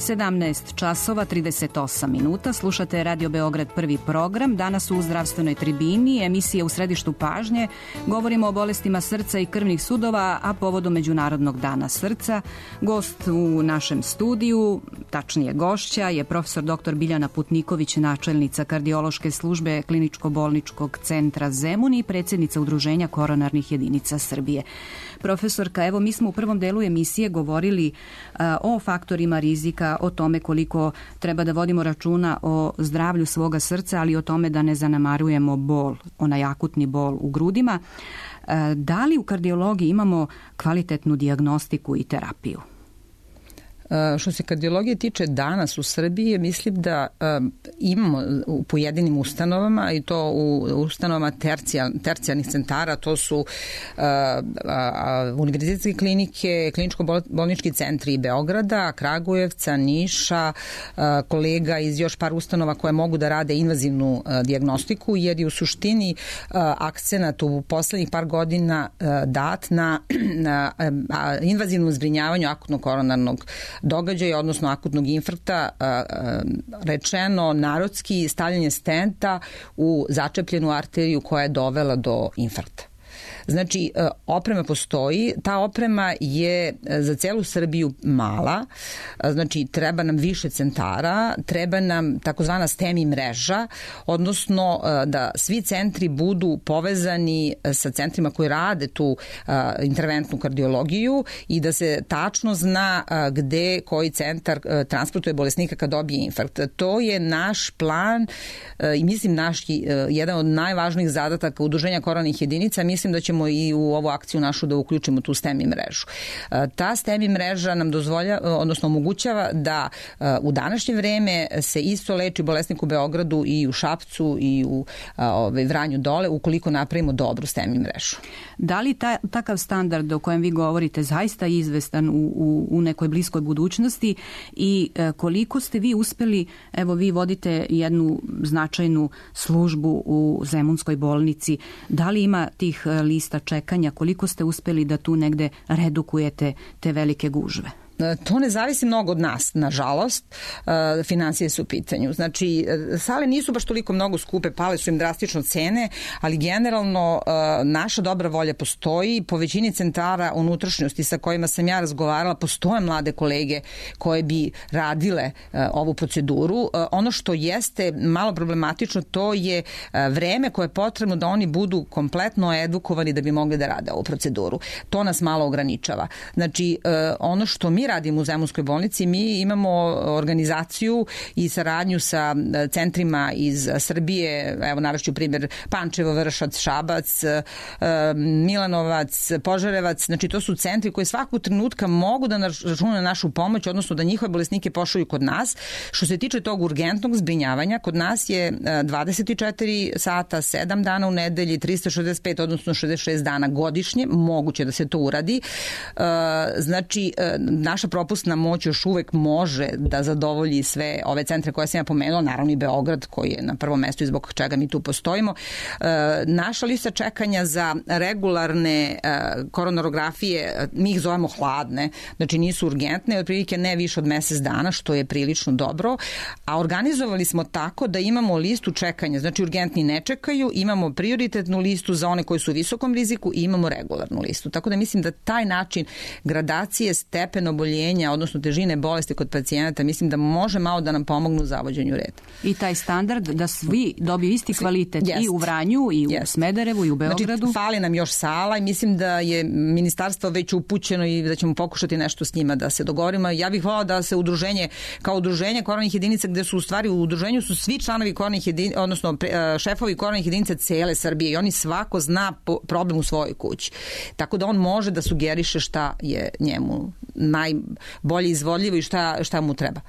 Sedamnaest časova 38 minuta. Slušate Radio Beograd prvi program. Danas u zdravstvenoj tribini, emisija u središtu pažnje. Govorimo o bolestima srca i krvnih sudova, a povodom Međunarodnog dana srca. Gost u našem studiju, tačnije gošća, je profesor dr. Biljana Putniković, načelnica kardiološke službe Kliničko-bolničkog centra Zemun i predsjednica Udruženja koronarnih jedinica Srbije. Profesorka, evo mi smo u prvom delu emisije govorili o faktorima rizika, o tome koliko treba da vodimo računa o zdravlju svoga srca, ali i o tome da ne zanemarujemo bol, onaj akutni bol u grudima. Da li u kardiologiji imamo kvalitetnu dijagnostiku i terapiju? Što se kardiologije tiče danas u Srbiji, mislim da imamo u pojedinim ustanovama, i to u ustanovama tercijarnih centara, to su univerzitetske klinike, kliničko-bolnički centri Beograda, Kragujevca, Niša, kolega iz još par ustanova koje mogu da rade invazivnu dijagnostiku, jer je u suštini akcenat u poslednjih par godina dat na invazivnom zbrinjavanju akutnog koronarnog događaja, odnosno akutnog infarkta, rečeno narodski stavljanje stenta u začepljenu arteriju koja je dovela do infarkta. Znači, oprema postoji, ta oprema je za celu Srbiju mala, znači treba nam više centara, treba nam takozvana STEMI mreža, odnosno da svi centri budu povezani sa centrima koji rade tu interventnu kardiologiju i da se tačno zna gde koji centar transportuje bolesnika kad dobije infarkt. To je naš plan i mislim jedan od najvažnijih zadataka Udruženja koronarnih jedinica. Mislim da ćemo i u ovu akciju našu da uključimo tu STEMI mrežu. Ta STEMI mreža nam odnosno omogućava da u današnje vreme se isto leči bolesnik u Beogradu i u Šapcu i u Vranju dole, ukoliko napravimo dobru STEMI mrežu. Da li takav standard o kojem vi govorite zaista izvestan u nekoj bliskoj budućnosti i koliko ste vi uspeli, evo vi vodite jednu značajnu službu u Zemunskoj bolnici, da li ima tih lista čekanja, koliko ste uspeli da tu negde redukujete te velike gužve? To ne zavisi mnogo od nas, nažalost, finansije su u pitanju. Znači, sale nisu baš toliko mnogo skupe, pale su im drastično cene, ali generalno naša dobra volja postoji. Po većini centara unutrašnjosti sa kojima sam ja razgovarala, postoje mlade kolege koje bi radile ovu proceduru. Ono što jeste malo problematično, to je vreme koje je potrebno da oni budu kompletno edukovani da bi mogli da rade ovu proceduru. To nas malo ograničava. Znači, ono što mi radimo u Zemunskoj bolnici, mi imamo organizaciju i saradnju sa centrima iz Srbije, evo navešću primjer Pančevo, Vršac, Šabac, Milanovac, Požarevac, znači to su centri koji svakog trenutka mogu da računaju na našu pomoć, odnosno da njihove bolesnike pošalju kod nas. Što se tiče tog urgentnog zbrinjavanja, kod nas je 24 sata, 7 dana u nedelji, 365, odnosno 66 dana godišnje, moguće da se to uradi. Znači, naša propusna moć još uvek može da zadovolji sve ove centre koje sam ja pomenula, naravno i Beograd koji je na prvom mestu i zbog čega mi tu postojimo. Naša lista čekanja za regularne koronarografije, mi ih zovemo hladne, znači nisu urgentne, otprilike ne više od mesec dana, što je prilično dobro, a organizovali smo tako da imamo listu čekanja, znači urgentni ne čekaju, imamo prioritetnu listu za one koji su u visokom riziku i imamo regularnu listu. Tako da mislim da taj način gradacije stepen oboljenja, odnosno težine bolesti kod pacijenata, mislim da može malo da nam pomognu u zavođenju reda. I taj standard da svi dobiju isti kvalitet i u Vranju, i u Smederevu, i u Beogradu. Znači, fali nam još sala i mislim da je ministarstvo već upućeno i da ćemo pokušati nešto s njima da se dogovorimo. Ja bih volala da se udruženje, kao udruženje koronarnih jedinica, gde su u stvari u udruženju su svi članovi koronarnih jedinica, odnosno šefovi koronarnih jedinica cele Srbije i oni svako zna problem u svojoj kući. Tako da on može da sugeriše šta je njemu najbolje izvodljivo i šta mu treba.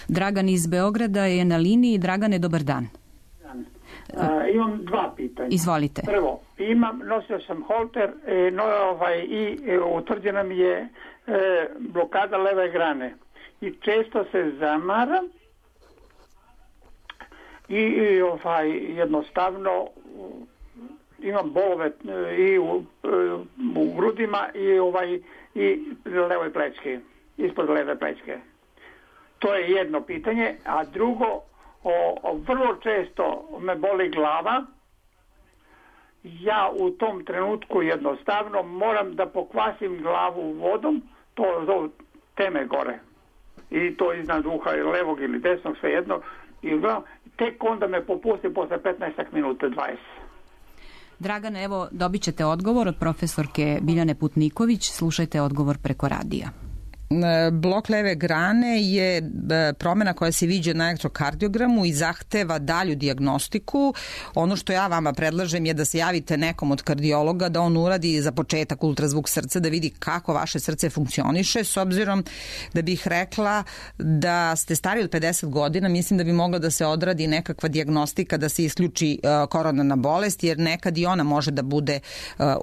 Dragan iz Beograda je na liniji. Dragane, dobar dan. Imam dva pitanja. Izvolite. Prvo, nosio sam holter i utvrđena mi je blokada leve grane i često se zamaram i jednostavno imam bolove i u grudima i levoj plečki, ispod leve plečke. To je jedno pitanje, a drugo, vrlo često me boli glava. Ja u tom trenutku jednostavno moram da pokvasim glavu vodom, to teme gore. i to iznad uha levog ili desnog, svejedno, i tek onda me popusti posle 15 minuta, 20. Dragane, evo dobit ćete odgovor od profesorke Biljane Putniković. Slušajte odgovor preko radija. Blok leve grane je promena koja se viđa na elektrokardiogramu i zahteva dalju dijagnostiku. Ono što ja vama predlažem je da se javite nekom od kardiologa, da on uradi za početak ultrazvuk srca, da vidi kako vaše srce funkcioniše, s obzirom da bih rekla da ste stari od 50 godina, mislim da bi mogla da se odradi nekakva dijagnostika, da se isključi koronarna bolest, jer nekad i ona može da bude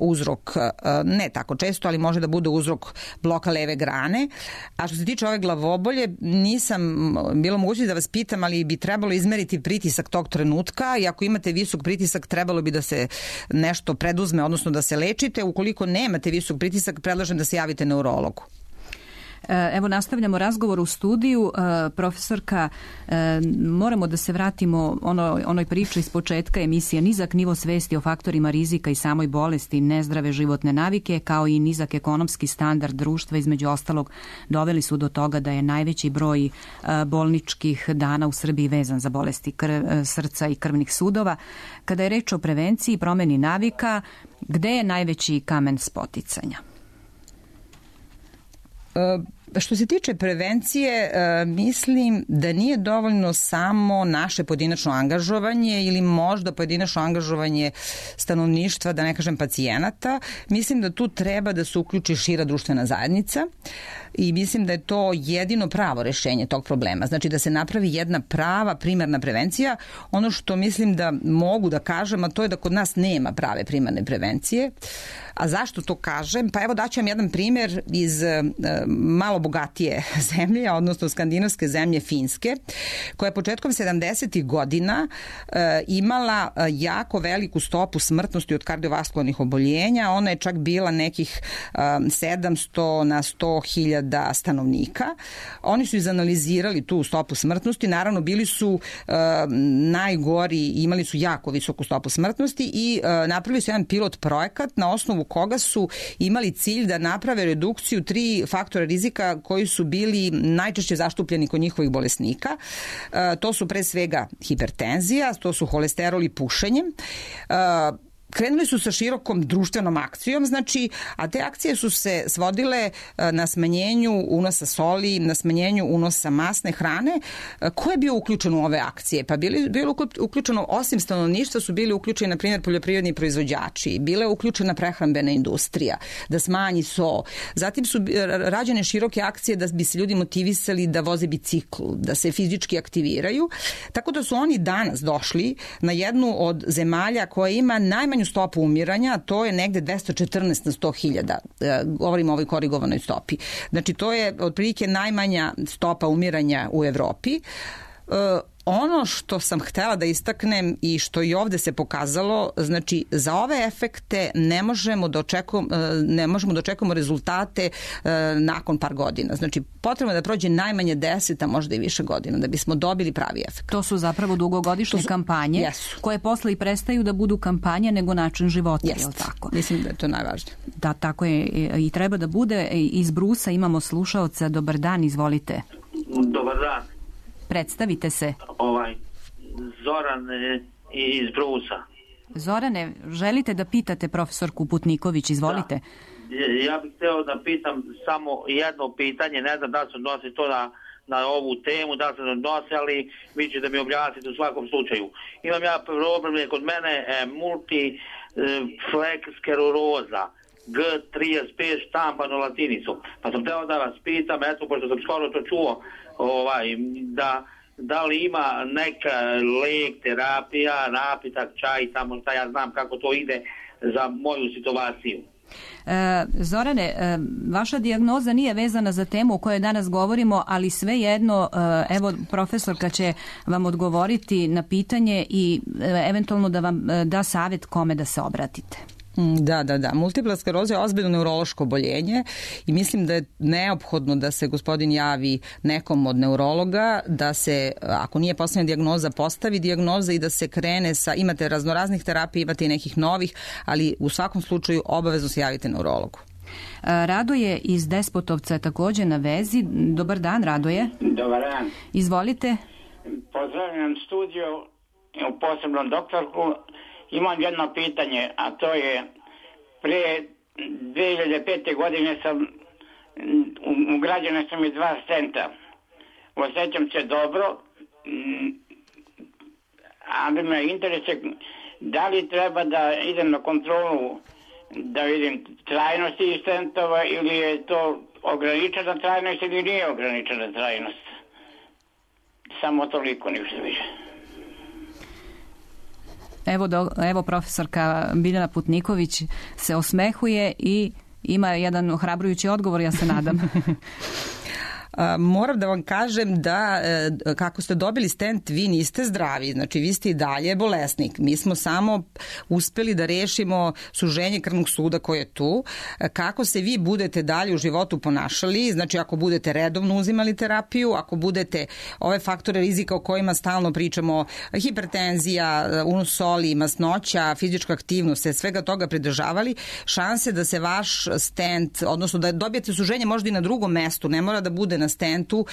uzrok, ne tako često, ali može da bude uzrok bloka leve grane. A što se tiče ove glavobolje, nisam bilo moguće da vas pitam, ali bi trebalo izmeriti pritisak tog trenutka i ako imate visok pritisak, trebalo bi da se nešto preduzme, odnosno da se lečite. Ukoliko nemate visok pritisak, predlažem da se javite neurologu. Evo, nastavljamo razgovor u studiju. Profesorka, moramo da se vratimo onoj priči iz početka emisije. Nizak nivo svesti o faktorima rizika i samoj bolesti, nezdrave životne navike, kao i nizak ekonomski standard društva, između ostalog, doveli su do toga da je najveći broj bolničkih dana u Srbiji vezan za bolesti srca i krvnih sudova. Kada je reč o prevenciji i promeni navika, gde je najveći kamen spoticanja? Što se tiče prevencije, mislim da nije dovoljno samo naše pojedinačno angažovanje ili možda pojedinačno angažovanje stanovništva, da ne kažem pacijenata. Mislim da tu treba da se uključi šira društvena zajednica i mislim da je to jedino pravo rešenje tog problema. Znači da se napravi jedna prava primarna prevencija. Ono što mislim da mogu da kažem, a to je da kod nas nema prave primarne prevencije. A zašto to kažem? Pa evo daću vam jedan primjer iz malo bogatije zemlje, odnosno skandinavske zemlje Finske, koja je početkom 70. godina imala jako veliku stopu smrtnosti od kardiovaskularnih oboljenja. Ona je čak bila nekih 700 na 100.000 stanovnika. Oni su izanalizirali tu stopu smrtnosti. Naravno, bili su najgori, imali su jako visoku stopu smrtnosti i napravili su jedan pilot projekat na osnovu koga su imali cilj da naprave redukciju 3 faktora rizika koji su bili najčešće zastupljeni kod njihovih bolesnika. To su pre svega hipertenzija, to su holesterol i pušenje. Krenuli su sa širokom društvenom akcijom, znači, a te akcije su se svodile na smanjenju unosa soli, na smanjenju unosa masne hrane. Ko je bio uključen u ove akcije? Pa bilo uključeno, osim stanovništva, su bili uključeni, na primjer, poljoprivredni proizvođači, bila je uključena prehrambena industrija, da smanji so. Zatim su rađene široke akcije da bi se ljudi motivisali da voze bicikl, da se fizički aktiviraju. Tako da su oni danas došli na jednu od zemalja koja ima najmanju stopu umiranja, to je negde 214 na 100.000, govorimo o ovoj korigovanoj stopi. Znači, to je otprilike najmanja stopa umiranja u Evropi. Ono što sam htela da istaknem i što i ovde se pokazalo, znači za ove efekte ne možemo da očekujemo rezultate nakon par godina. Znači potrebno je da prođe najmanje 10, a možda i više godina da bismo dobili pravi efekt. To su zapravo dugogodišnje kampanje koje posle i prestaju da budu kampanje nego način života, je li tako? Mislim da je to najvažnije. Da, tako je i treba da bude. Iz Brusa imamo slušaoca. Dobar dan, izvolite. Dobar dan. Predstavite se. Zoran iz Brusa. Zorane, želite da pitate profesorku Putniković, izvolite. Da. Ja bih hteo da pitam samo jedno pitanje, ne znam da se odnosi to na ovu temu, da se odnosi, ali vi ćete da mi objasnite u svakom slučaju. Imam ja problem, je kod mene multiflekskeroza, G35 štampano latinicom. Pa sam hteo da vas pitam, eto, pošto sam skoro to čuo, da li ima neka lek, terapija, napitak, čaj, tamo šta ja znam kako to ide za moju situaciju. Zorane, vaša dijagnoza nije vezana za temu o kojoj danas govorimo, ali svejedno, evo, profesorka će vam odgovoriti na pitanje i eventualno da vam da savjet kome da se obratite. Da. Multipla skleroza je ozbiljno neurološko oboljenje i mislim da je neophodno da se gospodin javi nekom od neurologa, da se, ako nije postavljena dijagnoza, postavi dijagnoza i da se krene sa, imate raznoraznih terapija, imate i nekih novih, ali u svakom slučaju obavezno se javite neurologu. Radoje iz Despotovca je također na vezi. Dobar dan, Radoje. Dobar dan. Izvolite. Pozdravljam studio, posebno doktorku. Imam jedno pitanje, a to je prije 2005. godine ugrađene su mi 2 stenta. Osjećam se dobro, ali me interese da li treba da idem na kontrolu da vidim trajnosti stentova ili je to ograničena trajnost ili nije ograničena trajnost. Samo toliko, ništa više. Evo profesorka Biljana Putniković se osmehuje i ima jedan ohrabrujući odgovor, ja se nadam. Moram da vam kažem da kako ste dobili stent, vi niste zdravi, znači vi ste i dalje bolesnik. Mi smo samo uspeli da rešimo suženje krvnog suda koje je tu. Kako se vi budete dalje u životu ponašali, znači ako budete redovno uzimali terapiju, ako budete ove faktore rizika o kojima stalno pričamo, hipertenzija, unos soli, masnoća, fizička aktivnost, svega toga pridržavali, šanse da se vaš stent, odnosno da dobijete suženje možda i na drugom mestu, ne mora da bude na stentu,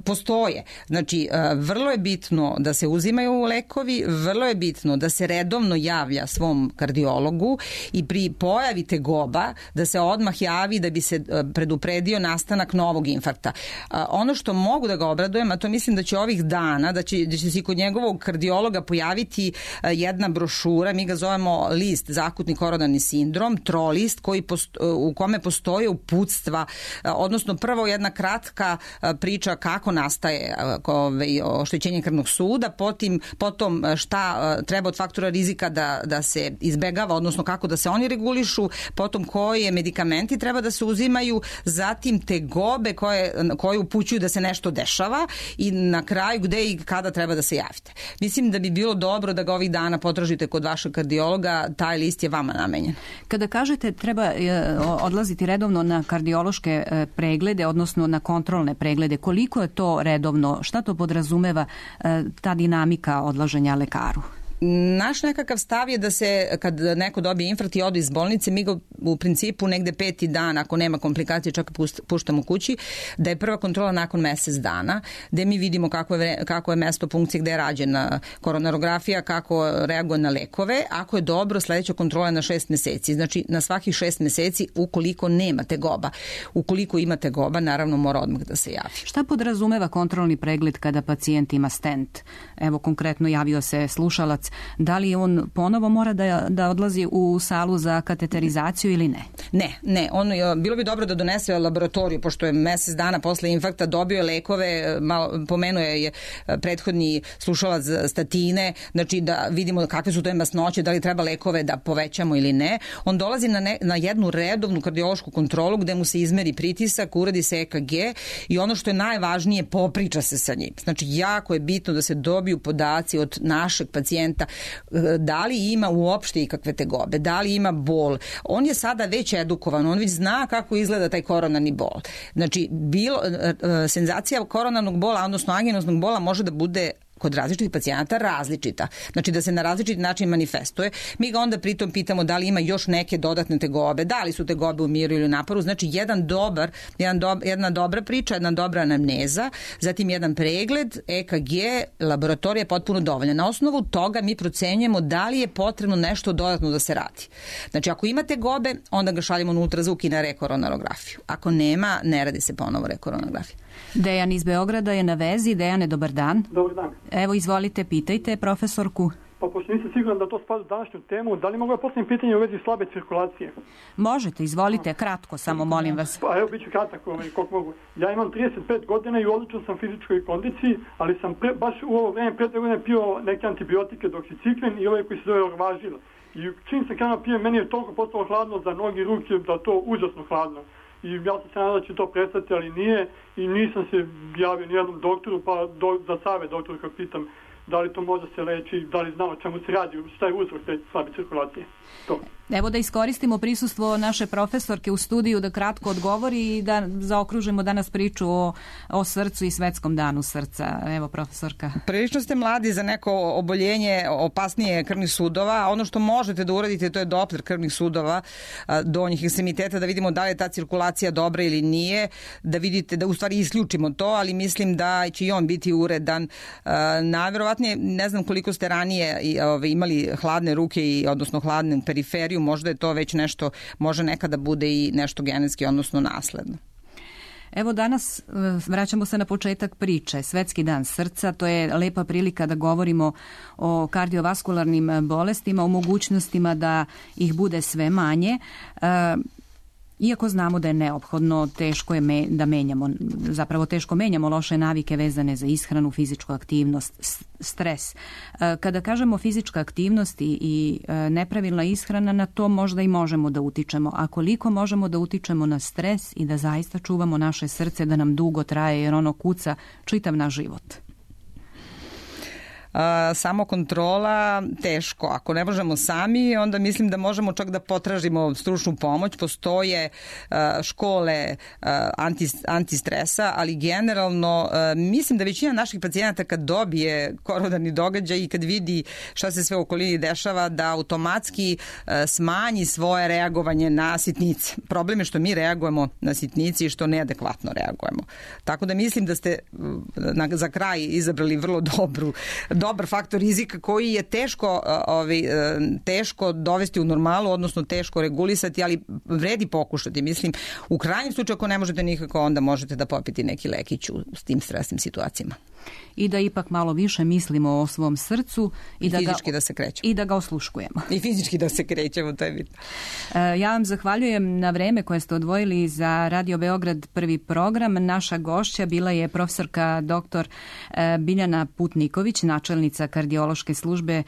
postoje. Znači, vrlo je bitno da se uzimaju lekovi, vrlo je bitno da se redovno javlja svom kardiologu i pri pojavi tegoba da se odmah javi da bi se predupredio nastanak novog infarkta. Ono što mogu da ga obradujem, a to mislim da će ovih dana, da će se kod njegovog kardiologa pojaviti jedna brošura, mi ga zovemo list zakutni koronarni sindrom, trolist, u kome postoje uputstva, odnosno prvo jedna kratka priča kako nastaje oštećenje krvnog suda, potom šta treba od faktora rizika da se izbegava, odnosno kako da se oni regulišu, potom koje medikamenti treba da se uzimaju, zatim tegobe koje upućuju da se nešto dešava i na kraju gde i kada treba da se javite. Mislim da bi bilo dobro da ga ovih dana potražite kod vašeg kardiologa, taj list je vama namenjen. Kada kažete treba odlaziti redovno na kardiološke preglede, odnosno na kontrolne preglede, koliko je to redovno, šta to podrazumeva ta dinamika odlaženja lekaru? Naš nekakav stav je da se kad neko dobije infarkt i ode iz bolnice, mi ga u principu negde 5. dan, ako nema komplikacije, čak puštamo kući, da je prva kontrola nakon mesec dana, gde mi vidimo kako je mesto funkcije, gde je rađena koronarografija, kako reaguje na lekove. Ako je dobro, sledeća kontrola je na 6 meseci. Znači, na svakih 6 meseci ukoliko nema tegoba. Ukoliko ima tegoba, naravno mora odmah da se javi. Šta podrazumeva kontrolni pregled kada pacijent ima stent? Evo, konkretno javio se slušalac. Da li on ponovo mora da odlazi u salu za kateterizaciju ili ne? Ne. Bilo bi dobro da donese laboratoriju, pošto je mesec dana posle infarkta dobio lekove, pomenuo je prethodni slušalac statine, znači da vidimo kakve su to masnoće, da li treba lekove da povećamo ili ne. On dolazi na jednu redovnu kardiološku kontrolu gde mu se izmeri pritisak, uradi se EKG i ono što je najvažnije, popriča se sa njim. Znači, jako je bitno da se dobiju podaci od našeg pacijenta da li ima uopšte ikakve tegobe, da li ima bol. On je sada već edukovan, on već zna kako izgleda taj koronarni bol. Znači, senzacija koronarnog bola, odnosno anginosnog bola može da bude kod različitih pacijenata različita. Znači da se na različiti način manifestuje. Mi ga onda pritom pitamo da li ima još neke dodatne tegobe, da li su tegobe u miru ili u naporu. Znači jedna dobra priča, jedna dobra anamneza, zatim jedan pregled, EKG, laboratorija je potpuno dovoljna. Na osnovu toga mi procenjujemo da li je potrebno nešto dodatno da se radi. Znači ako ima tegobe, onda ga šaljemo na ultrazvuk i na rekoronarografiju. Ako nema, ne radi se ponovo rekoronarografija. Dejan iz Beograda je na vezi. Dejane, dobar dan. Dobar dan. Evo, izvolite, pitajte profesorku. Pa pošto nisam siguran da to spada u današnju temu, da li mogu ja postaviti pitanje u vezi slabe cirkulacije? Možete, izvolite, kratko samo, molim vas. Pa evo, bit ću kratak, koliko mogu. Ja imam 35 godina i u odličnom sam fizičkoj kondiciji, ali sam baš u ovo vreme pre 2 godine pio neke antibiotike, doksiciklen i ove koji se zove Orvažil. I čim se krenuo pijem, meni je toliko postalo hladno za noge i ruke, da to užasno hladno. I ja sam se nadao da će to prestati, ali nije i nisam se javio nijednom doktoru, pa za savjet doktoru kad pitam da li to može se leči, da li znamo čemu se radi, šta je uzrok te slabe cirkulacije. To. Evo da iskoristimo prisustvo naše profesorke u studiju da kratko odgovori i da zaokružimo danas priču o srcu i svetskom danu srca. Evo, profesorka. Prilično ste mladi za neko oboljenje opasnije krvnih sudova. Ono što možete da uradite, to je Doppler krvnih sudova donjih ekstremiteta, da vidimo da li je ta cirkulacija dobra ili nije, da vidite, da u stvari isključimo to, ali mislim da će i on biti uredan. Najverovatnije, ne znam koliko ste ranije imali hladne ruke, odnosno hladnu periferiju, možda je to već nešto, može nekada bude i nešto genetski, odnosno nasledno. Evo danas vraćamo se na početak priče. Svetski dan srca, to je lepa prilika da govorimo o kardiovaskularnim bolestima, o mogućnostima da ih bude sve manje. Iako znamo da je neophodno, teško je da menjamo, zapravo teško menjamo loše navike vezane za ishranu, fizičku aktivnost, stres. Kada kažemo fizička aktivnost i nepravilna ishrana, na to možda i možemo da utičemo. A koliko možemo da utičemo na stres i da zaista čuvamo naše srce da nam dugo traje, jer ono kuca čitav naš život? Samo kontrola teško. Ako ne možemo sami, onda mislim da možemo čak da potražimo stručnu pomoć. Postoje škole antistresa, ali generalno mislim da većina naših pacijenata kad dobije koronarni događaj i kad vidi šta se sve u okolini dešava, da automatski smanji svoje reagovanje na sitnice. Problem je što mi reagujemo na sitnici i što neadekvatno reagujemo. Tako da mislim da ste za kraj izabrali vrlo dobar faktor rizika koji je teško dovesti u normalu, odnosno teško regulisati, ali vredi pokušati. Mislim, u krajnjem slučaju ako ne možete nikako, onda možete da popiti neki lekić u tim stresnim situacijama. I da ipak malo više mislimo o svom srcu i fizički da se krećemo. I da ga osluškujemo. I fizički da se krećemo, to je bitno. Ja vam zahvaljujem na vreme koje ste odvojili za Radio Beograd prvi program. Naša gošća bila je profesorka dr. Biljana Putniković, načelnica kardiološke službe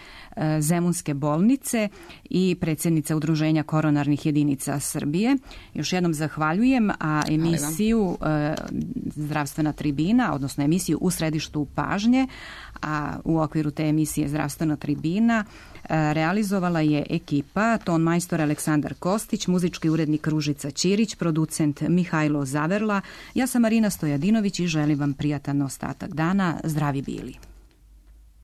Zemunske bolnice i predsjednica Udruženja koronarnih jedinica Srbije. Još jednom zahvaljujem, a emisiju Zdravstvena tribina, odnosno emisiju U središtu pažnje, a u okviru te emisije Zdravstvena tribina realizovala je ekipa ton majstor Aleksandar Kostić, muzički urednik Ružica Ćirić, producent Mihajlo Zaverla. Ja sam Marina Stojadinović i želim vam prijatan ostatak dana. Zdravi bili.